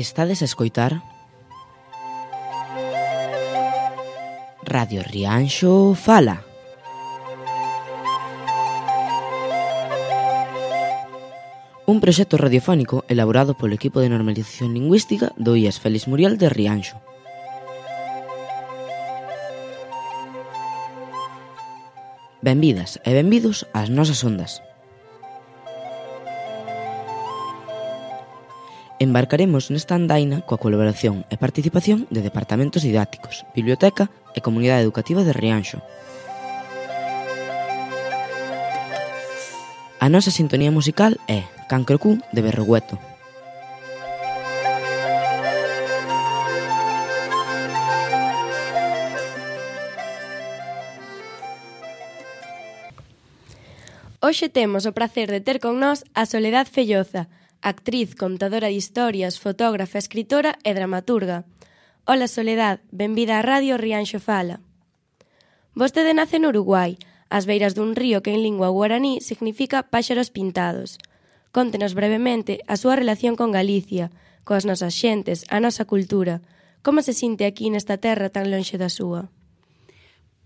Estades a escoitar Radio Rianxo Fala. Un proxecto radiofónico elaborado polo equipo de normalización lingüística do IES Félix Muriel de Rianxo. Benvidas e benvidos ás nosas ondas. Embarcaremos nesta andaina coa colaboración e participación de departamentos didácticos, biblioteca e comunidade educativa de Rianxo. A nosa sintonía musical é Cancro Q de Berrogueto. Hoxe temos o prazer de ter con nós a Soledad Felloza, actriz, contadora de historias, fotógrafa, escritora e dramaturga. Ola Soledad, benvida á Radio Rianxo Fala. Vostede nace no Uruguai, ás beiras dun río que en lingua guaraní significa páxaros pintados. Contenos brevemente a súa relación con Galicia, coas nosas xentes, a nosa cultura. Como se sinte aquí nesta terra tan lonxe da súa?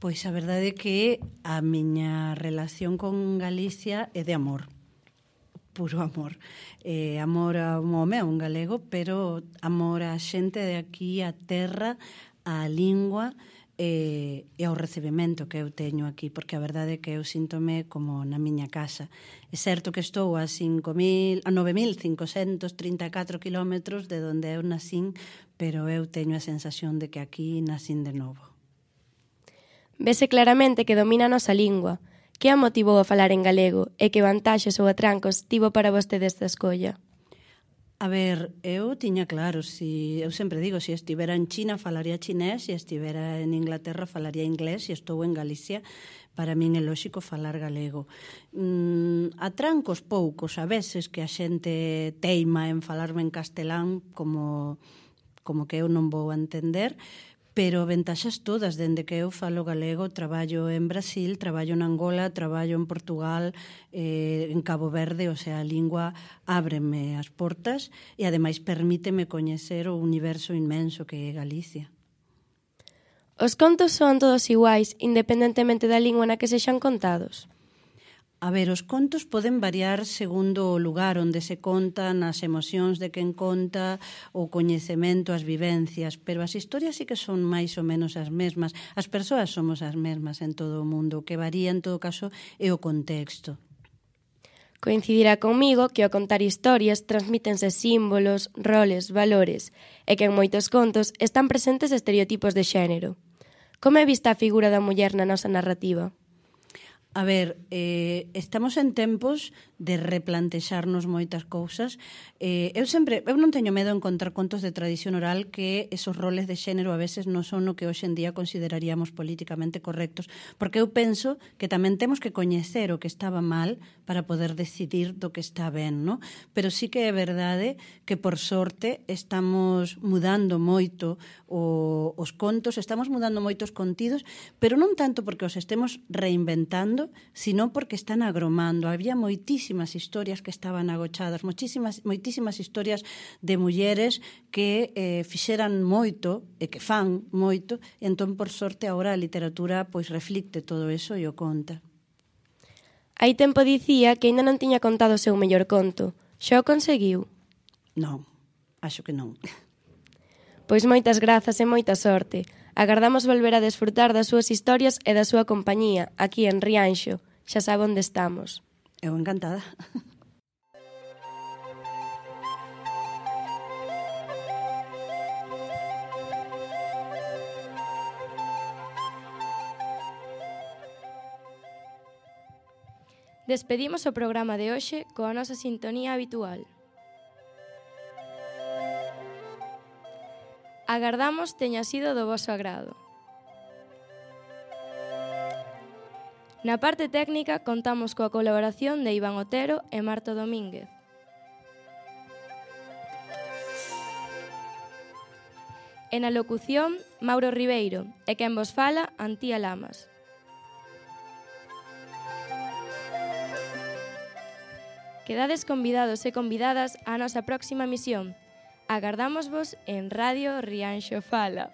Pois a verdade é que a miña relación con Galicia é de amor. Puro amor. Amor a un home, a un galego, pero amor á xente de aquí, á terra, á lingua e ao recibimento que eu teño aquí, porque a verdade é que eu síntome como na miña casa. É certo que estou a 9.534 kilómetros de onde eu nacín, pero eu teño a sensación de que aquí nacín de novo. Vese claramente que domina a nosa lingua. Que a motivou a falar en galego e que vantaxes ou atrancos tivo para vostede esta escolla? A ver, eu tiña claro, eu sempre digo, se estivera en China falaría chinés, se estivera en Inglaterra falaría inglés, se estou en Galicia, para min é lóxico falar galego. Atrancos poucos, a veces que a xente teima en falarme en castelán como que eu non vou a entender, pero ventaxas todas, dende que eu falo galego, traballo en Brasil, traballo en Angola, traballo en Portugal, en Cabo Verde, o sea, a lingua ábreme as portas e ademais permíteme coñecer o universo inmenso que é Galicia. Os contos son todos iguais, independentemente da lingua na que sexan contados? A ver, os contos poden variar segundo o lugar onde se contan, as emocións de quen conta, o coñecemento, as vivencias, pero as historias sí que son máis ou menos as mesmas. As persoas somos as mesmas en todo o mundo, o que varía en todo caso é o contexto. Coincidirá comigo que ao contar historias transmítense símbolos, roles, valores, e que en moitos contos están presentes estereotipos de xénero. Como é vista a figura da muller na nosa narrativa? A ver, estamos en tempos de replantexarnos moitas cousas. Eu non teño medo en contar contos de tradición oral que esos roles de xénero a veces non son o que hoxe en día consideraríamos políticamente correctos, porque eu penso que tamén temos que coñecer o que estaba mal para poder decidir do que está ben, non? Pero sí que é verdade que, por sorte, estamos mudando moito os contos, estamos mudando moitos contidos, pero non tanto porque os estemos reinventando, sino porque están agromando. Había moitísimas historias que estaban agochadas, moitísimas historias de mulleres que fixeran moito e que fan moito, e entón, por sorte, agora a literatura pois reflicte todo eso e o conta. Hai tempo dicía que aínda non tiña contado o seu mellor conto. Xa o conseguiu? Non, acho que non. Pois moitas grazas e moita sorte. Agardamos volver a desfrutar das súas historias e da súa compañía, aquí en Rianxo. Xa sabe onde estamos. Eu encantada. Despedimos o programa de hoxe coa nosa sintonía habitual. Agardamos teña sido do voso agrado. Na parte técnica contamos coa colaboración de Iván Otero e Marta Domínguez. E na locución, Mauro Ribeiro, e quen vos fala, Antía Lamas. Quedades convidados e convidadas á nosa próxima misión. Agardámosvos en Radio Rianxo Fala.